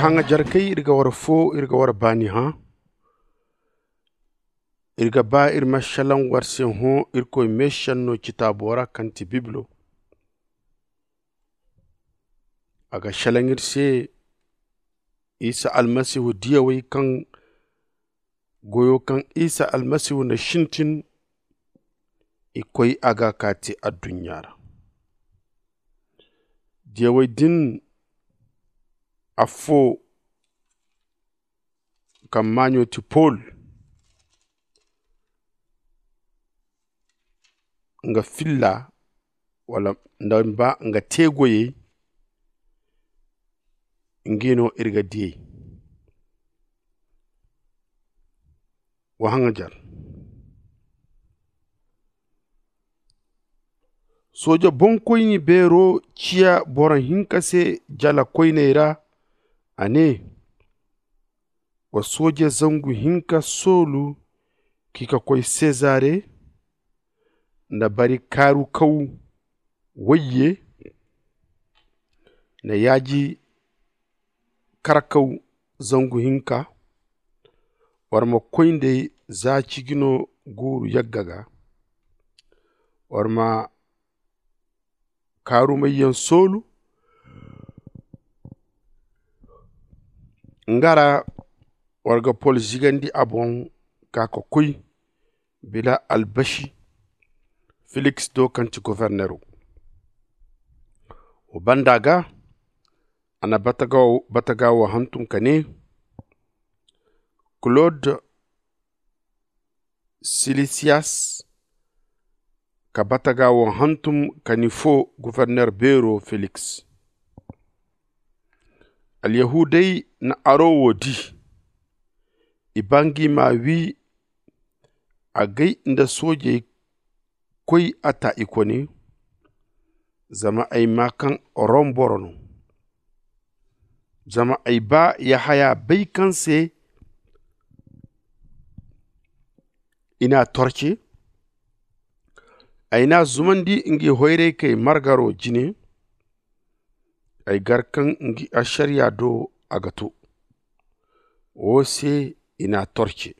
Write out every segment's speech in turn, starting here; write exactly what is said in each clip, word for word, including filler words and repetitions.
Haŋajarkey, iri ga war fo, iri ga war baani hã. Iri ga ba iri ma šelaŋ war se hõ Irkoy meešenno citaabo ra kaŋ ti Bibilo. A ga šelaŋ iri se Isa Almasihu diyawey kaŋ goyo kaŋ Isa Almasihu na sintin i koy a ga ka te adduɲɲa ra. Diyawey din affo kaŋ maaɲo ti Pol nga filla wala nda ba nga teegoyey. Ngi no iri ga diyey wa haŋajar. Sooja boŋkoyni beero ciya boro hinka se jala koyney ra. A ne, wa sooje zangu hinka soolu k'i ka koy sezare nda bari kaarukaw wayye nda yaaji karkaw zangu hinka. War ma koy nd'ey za ciji no guuru yagga ga. War ma kaarumayyaŋ soolu nga ra. War ga pol zigandi a boŋ ka ka koy bila albasi filiks do kaŋ ti gofornero. Wo banda ga a na bataga wo hantum ka ne, klod silisiyas ka bataga wo hantum ka ni fo goforner beero filiks. Alyahudey na aro wo di. I ba ngi ma wi agay nda soojey koy a ta i kone. Zama ay ma kaŋ rom boro no. Zama ay ba yahaya bay kaŋ se i n'a torce. Ay n'a zumandi ngi hoyraykey margaro jine. Ay gar kaŋ ngi ašariya do a ga to. Wo se i n'a torce.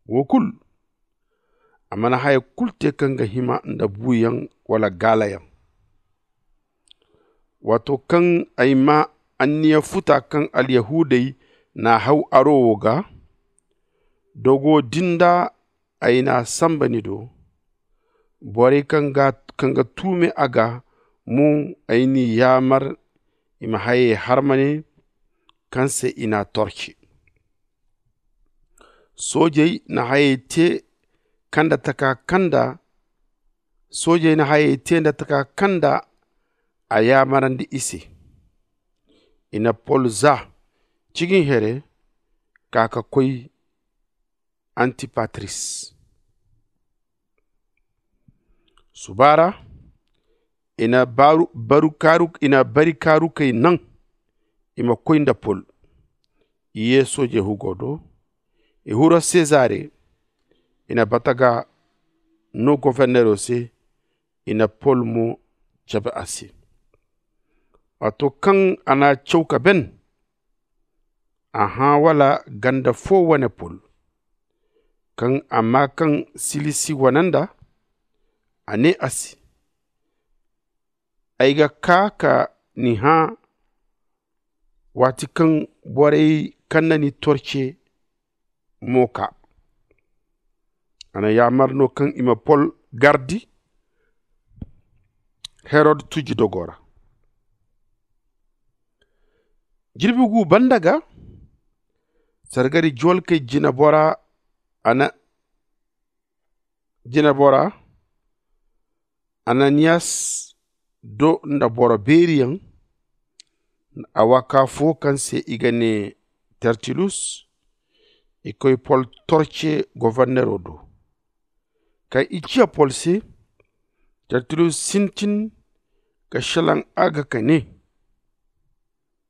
Wo kulu a mana haya kulu te kaŋ ga hima nda buuyaŋ wala gaalayaŋ. Waato kaŋ ay ma anniya futa kaŋ alyahudey n'a haw aro wo ga, dogo din da ay n'a samba ni do. Borey kaŋ ga tuume a ga mo, ay n'i yaamar i ma hayey harmane kaŋ se i n'a torce. Soojey na hayey te kanda taka kanda. Soojey na hayey te nda taka kanda a yaamarandi i se. I na pol za cigin here ka ka koy antipatris. Suba ra i na bari kaarukey naŋ i ma koy nda pol. I ye soojey hugo do. I huro sezare. I na bataga no gofornero se. I na pol mo cabe a se. Waato kaŋ a n'a caw ka ben, a hã wala ganda fo wane pol. Kaŋ a ma kaŋ silisi wane nda, a ne a se, ay ga kaa ka ni hã waati kaŋ borey kaŋ na ni torce mo kaa. A na yaamar no kaŋ i ma pol gardi herod tuji dogo ra. Jirbi gu banda ga sargari juwalkey jinabora a na jinabora ananiyas do nda boro beeriyaŋ. Awa ka fo kaŋ se i ga ne tertilus. I koy pol torce gofornero do. Kaŋ i ciya pol se, tertilus sintin ka šelaŋ a ga ka ne,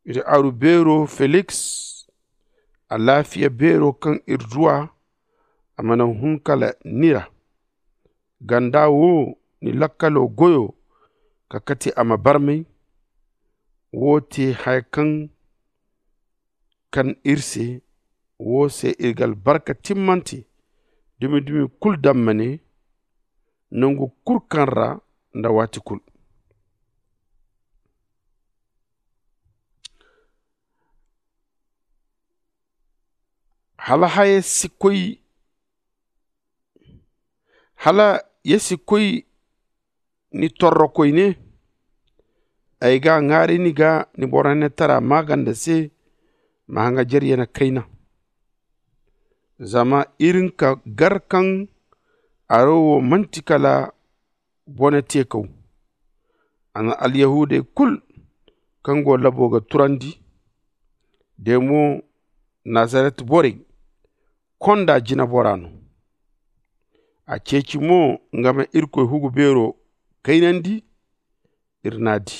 iri aru beero feliks, alaafiya beero kaŋ iri duw'a a mana hun kala ni ra. Ganda wo ni lakkalo goyo ka kate a ma barmay. Wo te haya kaŋ kan iri se. Wo se iri ga albarka timmante dumi-dumi kulu daŋ ma ne nangu kulu kaŋ ra nda waati kulu. Hala haya si koy hala ya si koy ni torrokoy ne? Ay ga ŋwaaray ni ga ni borantara maaganda se. Ma haŋajer yana kayna. Zama iri nka gar kaŋ aro wo manti kala bone teekaw. A na alyahuudey kulu kaŋ go labo ga turandi de mo, nazaret borey konda jinebora no. A ceeci mo nga ma irkoy hugu beero kaynandi. Iri n'a di.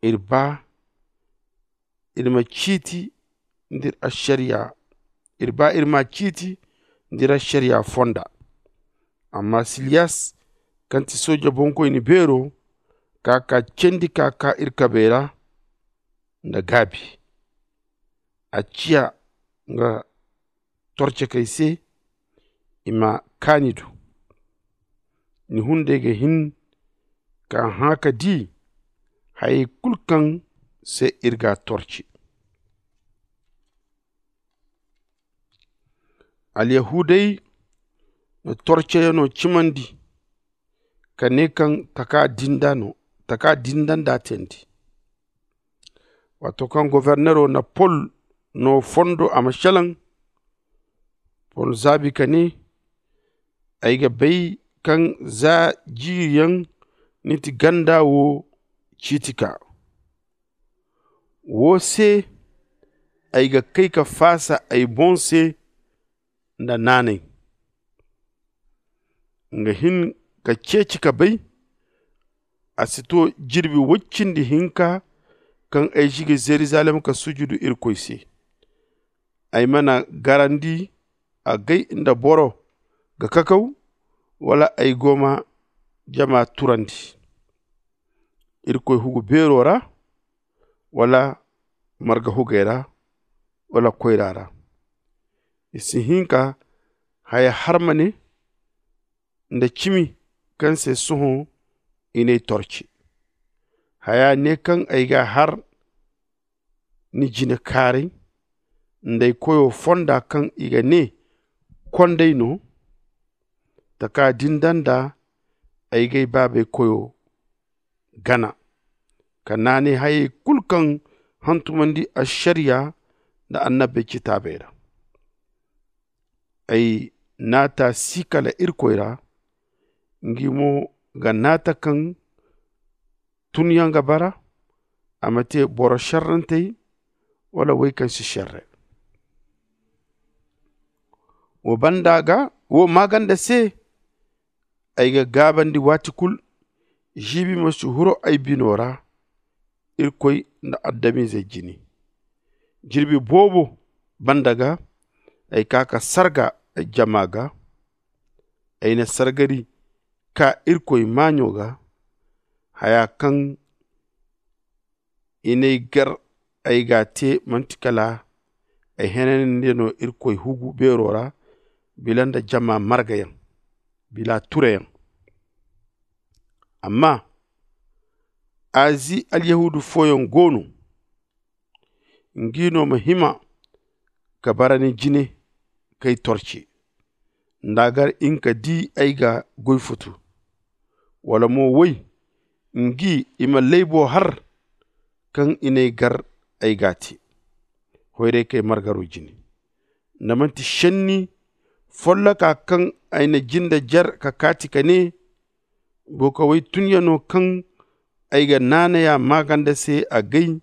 Iri ba iri ma ciiti nda iri ašariya. Iri ba iri ma ciiti nda iri ašariya fonda. Amma siliyas kaŋ ti sooja bonkoyne beero ka ka candi ka ka iri kabey ra nda gaabi. A ciya nga torcekey se i ma kaani du. Ni hunday ga hin ka hã ka di hayey kulu kaŋ se iri ga a torci. Alyahuudey na torceyano cimandi ka ne kaŋ taka dinda no taka dinda nd'a teendi. Waato kaŋ gofornero na pol no fondo a ma selaŋ, pol zaabi ka ne, ay ga bay kaŋ za jiiri yaŋ ni ti ganda wo ciiti ka. Wo se ay ga kay ka faasa ay boŋ se nda naanay. Nga hin ka ceeci ka bay. A si to jirbi woy cindi hinka kaŋ ay zigi zerizalem ka sujudu irkoy se. Ay mana garandi agay nda boro ga kakaw, wala ay go ma jama turandi irkoy hugu beero ra, wala marga hugey ra, wala koyra ra. I si hin ka haya har ma ne nda cimi kaŋ se sohõ i n'ay torci. Haya ne kaŋ ay ga a har ni jine kaaray nda ay koyo fonda kaŋ i ga ne kond'ay no. Taka din da nda ay ga ay baabey koyo gana ka naanay hayey kulu kaŋ hantumandi ašariya nda annabey citaabey ra. Ay naata si kala irkoy ra. Ngi mo ga naata kaŋ tunyaŋ ga bara a ma te boro šerrantey wala wey kaŋ si šerre. Wo banda ga wo maaganda se ay ga gaabandi waati kulu. Žiibi ma si huru ay bino ra irkoy nda adamize jine. Jirbi boobo banda ga ay ka ka sarga ay jama ga. Ay na sargari ka irkoy maaɲo ga haya kaŋ i n'ay gar ay ga a te manti kala ay henanandi no irkoy hugu beero ra bila nda jama margayaŋ bila tureyaŋ. Amma azi alyahuudu fooyaŋ go no ngi no ma hima ka bara ni jine k'ay torci nda a gar in ka di ay ga goy futu wala mo woy ngi i ma laybo har kaŋ i n'ay gar ay ga a te hoyray k'ay margaro jine. Nda manti šenni folloka kaŋ ay na jinde jer ka kaati ka ne bukawey tunyano kaŋ ay ga naanaya maaganda se agay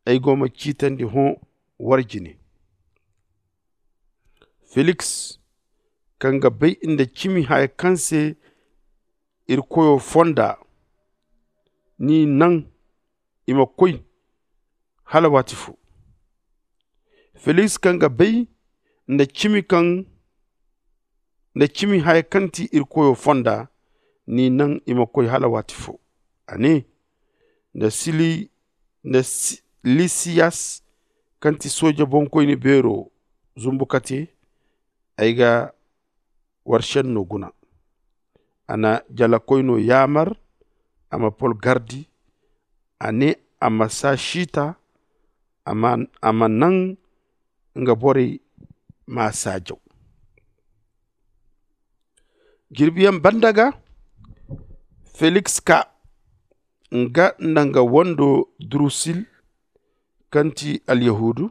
ay go ma ciitandi hõ war jine. Feliks kaŋ ga bay nda cimi haya kaŋ se iri koyo fonda n'i naŋ i ma koy hala waati fo. Feliks kaŋ ga bay nda cimi kaŋ nda cimi haya kaŋ ti iri koyo fonda n'i naŋ i ma koy hala waati fo. A ne nda sili nda lisiyas kaŋ ti sooja boŋkoyne beero zumbu kate, ay ga war šenno guna. A na jalakoyno yaamar a ma pol gardi. A ne a ma s'a siita, a ma naŋ nga borey m'a saajaw. Jirbiyaŋ banda ga, feliks kaa, nga nda nga wando drusil, kaŋ ti alyahuudu.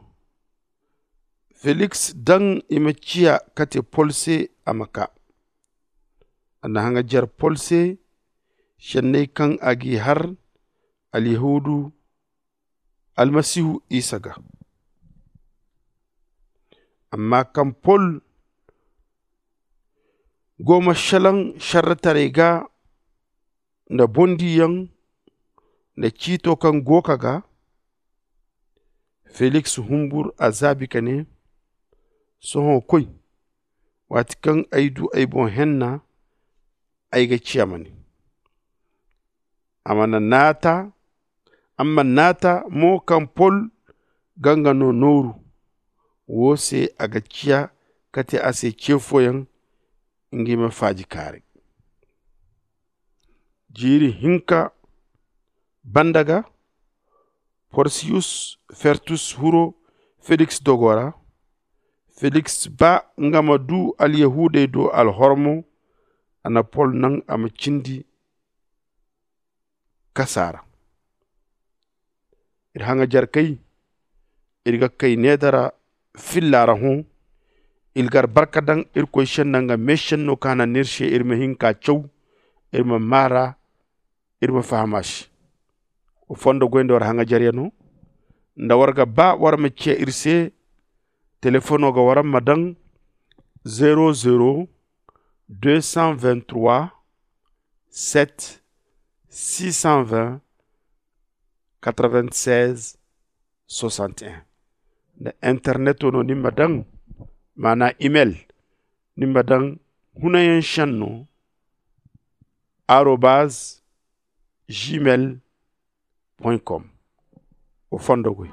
Feliks daŋ i ma ciya kate pol se a ma kaa. A na haŋajer pol se šenney kaŋ a g'i har alyahuudu almasihu isa ga. Amma kaŋ pol go ma šelaŋ šerretaray ga nda bondiyaŋ nda ciito kaŋ go ka ga, feliks humbur a zaabi ka ne, sohõ koy, waati kaŋ ay du ay boŋ henna, ay ga ciya ma ne. A mana naata a mana naata mo kaŋ pol ga nga no nooru. Wo se a ga ciya kate a se ce fooyaŋ, nga i ma faaji kaaray. Jiiri hinka banda ga, porsiyus fertus huro feliks dogo ra. Feliks ba nga ma du alyahuudey do alhormo, a na pol naŋ a ma cindi kasa ra. Iri haŋajerkey, iri ga kay needara filla ra hõ. Iri ga albarka daŋ irkoy se nda nga meešenno kaŋ a naŋ no iri se iri ma hin ka caw, iri ma maa ra, iri ma faham a se. Wa fondo goy nda war haŋajeryano. Nda war ga ba war ma ciya iri se, telefono ga war ma daŋ zero zero deux cent vingt trois sept six cent vingt quatre vingt seize soixante et un. Nda interneto no ni ma daŋ, maana email, ni ma daŋ hunayaŋ šenno arobaz gmail point com. Wa fondo goy.